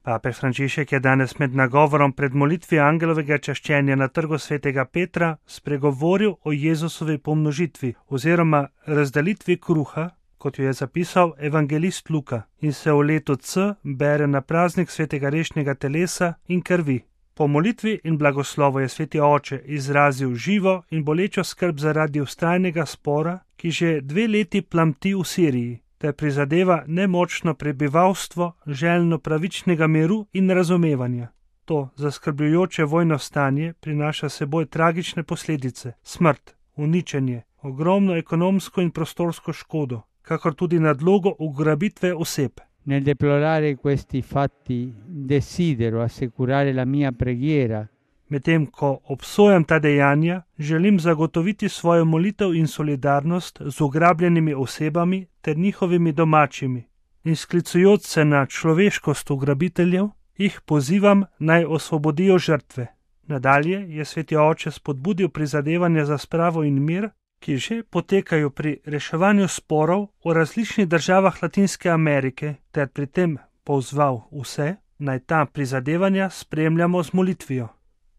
Papež Frančišek je danes med nagovorom pred molitvijo angelovega čaščenja na trgu svetega Petra spregovoril o Jezusovi pomnožitvi oziroma razdelitvi kruha, kot jo je zapisal evangelist Luka, in se v letu C bere na praznik svetega rešnega telesa in krvi. Po molitvi in blagoslovu je sveti oče izrazil živo in bolečo skrb zaradi vztrajnega spora, ki že 2 leti plamti v Siriji, ter prizadeva nemočno prebivalstvo željno pravičnega miru in razumevanja. To zaskrbljujoče vojno stanje prinaša seboj tragične posledice, smrt, uničenje, ogromno ekonomsko in prostorsko škodo, kakor tudi nadlogo ugrabitve oseb. Nel deplorare questi fatti desidero assicurare la mia preghiera. Medtem ko obsojam ta dejanja, želim zagotoviti svojo molitev in solidarnost z ugrabljenimi osebami ter njihovimi domačimi. In sklicujoč se na človeškost ugrabiteljev, jih pozivam naj osvobodijo žrtve. Nadalje je sveti oče spodbudil prizadevanja za spravo in mir, ki že potekajo pri reševanju sporov v različnih državah Latinske Amerike, ter pri tem pozval vse, naj ta prizadevanja spremljamo z molitvijo.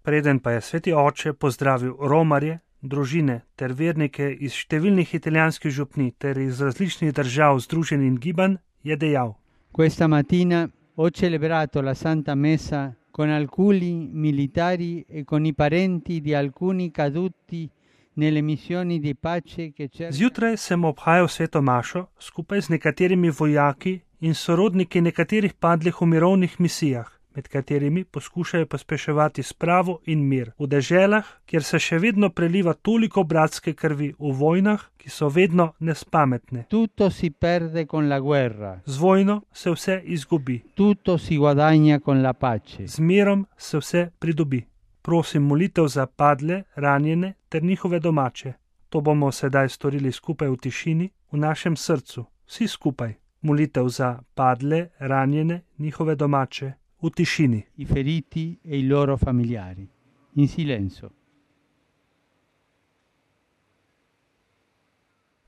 Preden pa je sveti oče pozdravil romarje, družine ter vernike iz številnih italijanskih župni ter iz različnih držav, združenj in gibanj, je dejal: Questa mattina ho celebrato la Santa Messa con alcuni militari e con i parenti di alcuni caduti nelle missioni di pace che cercano. Zjutraj sem obhajal sveto mašo skupaj z nekaterimi vojaki in sorodniki nekaterih padlih v mirovnih misijah, med katerimi poskušajo pospeševati spravo in mir v deželah, kjer se še vedno preliva toliko bratske krvi v vojnah, ki so vedno nespametne. Tutto si perde con la guerra. Z vojno se vse izgubi. Tutto si guadagna con la pace. Z mirom se vse pridobi. Prosim molitev za padle, ranjene ter njihove domače. To bomo sedaj storili skupaj v tišini, v našem srcu, vsi skupaj. Molitev za padle, ranjene, njihove domače, v tišini. I feriti e i loro familiari. In silenzio.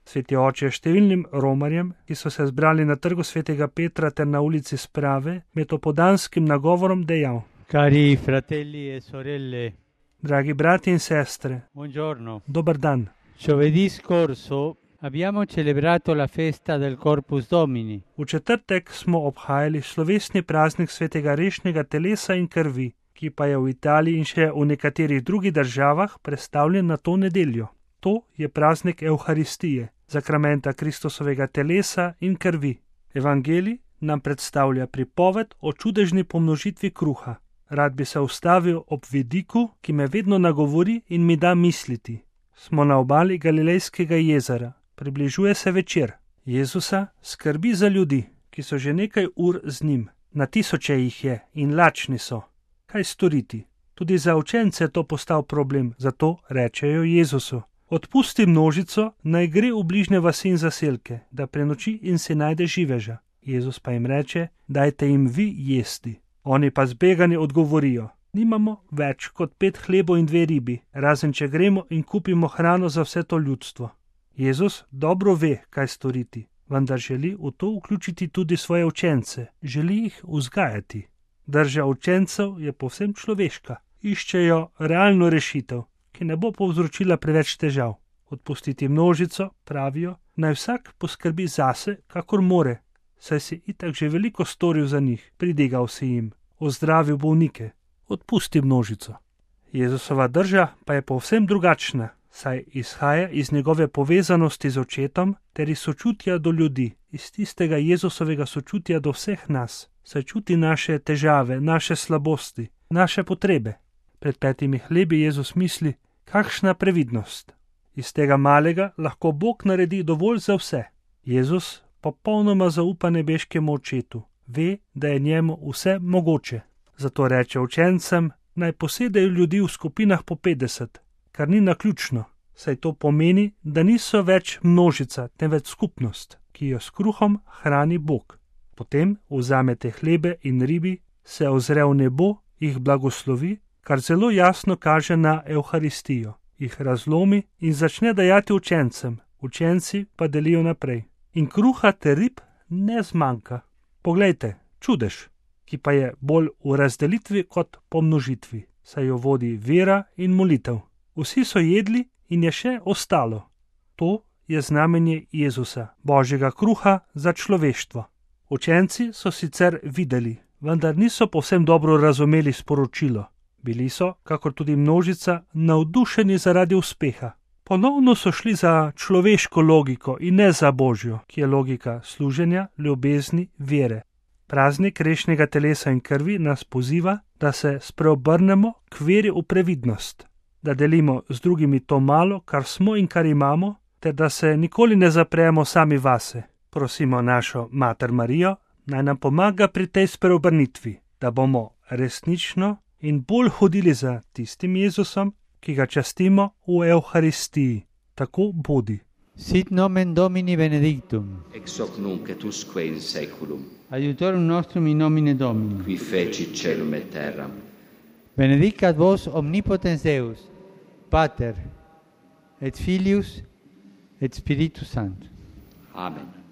Sveti oče številnim romarjem, ki so se zbrali na trgu svetega Petra ter na ulici Sprave, med opodanskim nagovorom dejal: Cari fratelli e sorelle, dragi brati in sestre, buongiorno. dober dan. Giovedì scorso abbiamo celebrato la festa del Corpus Domini. V četrtek smo obhajali slovesni praznik svetega rešnega telesa in krvi, ki pa je v Italiji in še v nekaterih drugih državah predstavljen na to nedeljo. To je praznik Evharistije, zakramenta Kristusovega telesa in krvi. Evangelij nam predstavlja pripoved o čudežni pomnožitvi kruha. Rad bi se ustavil ob vidiku, ki me vedno nagovori in mi da misliti. Smo na obali Galilejskega jezera. Približuje se večer. Jezusa skrbi za ljudi, ki so že nekaj ur z njim. Na tisoče jih je in lačni so. Kaj storiti? Tudi za učence je to postal problem, zato rečejo Jezusu: odpusti množico, naj gre v bližnje vasi in zaselke, da prenoči in si najde živeža. Jezus pa jim reče: dajte jim vi jesti. Oni pa zbegani odgovorijo: nimamo več kot 5 hlebov in 2 ribi, razen če gremo in kupimo hrano za vse to ljudstvo. Jezus dobro ve, kaj storiti, vendar želi v to vključiti tudi svoje učence, želi jih vzgajati. Drža učencev je povsem človeška. Iščejo realno rešitev, ki ne bo povzročila preveč težav. Odpustiti množico, pravijo, naj vsak poskrbi zase, kakor more, saj si itak že veliko storil za njih, pridigal si jim, ozdravil bolnike. Odpusti množico. Jezusova drža pa je povsem drugačna, saj izhaja iz njegove povezanosti z očetom ter iz sočutja do ljudi, iz tistega Jezusovega sočutja do vseh nas, saj čuti naše težave, naše slabosti, naše potrebe. Pred 5 hlebi Jezus misli, kakšna previdnost. Iz tega malega lahko Bog naredi dovolj za vse. Jezus popolnoma zaupa nebeškemu očetu, ve, da je njemu vse mogoče. Zato reče učencem, naj posedejo ljudi v skupinah po 50, kar ni naključno, saj to pomeni, da niso več množica, temveč skupnost, ki jo s kruhom hrani Bog. Potem vzame te hlebe in ribi, se ozre v nebo, jih blagoslovi, kar zelo jasno kaže na Evharistijo, jih razlomi in začne dajati učencem, učenci pa delijo naprej. In kruha ter rib ne zmanjka. Poglejte, čudež. ki pa je bolj v razdelitvi kot pomnožitvi, saj jo vodi vera in molitev. Vsi so jedli in je še ostalo. To je znamenje Jezusa, Božjega kruha za človeštvo. Učenci so sicer videli, vendar niso povsem dobro razumeli sporočilo. Bili so, kakor tudi množica, navdušeni zaradi uspeha. Ponovno so šli za človeško logiko in ne za Božjo, ki je logika služenja, ljubezni, vere. Praznik grešnega telesa in krvi nas poziva, da se spreobrnemo k veri v previdnost, da delimo z drugimi to malo, kar smo in kar imamo, ter da se nikoli ne zapremo sami vase. Prosimo našo Mater Marijo, naj nam pomaga pri tej spreobrnitvi, da bomo resnično in bolj hodili za tistim Jezusom, ki ga častimo v Evharistiji. Tako bodi. Sit nomen Domini benedictum. Ex hoc nunc et usque in saeculum. Aiutorium nostrum in nomine Domini. Qui feci caelum et terram. Benedicat vos omnipotens Deus, Pater, et Filius, et Spiritus Sanctus. Amen.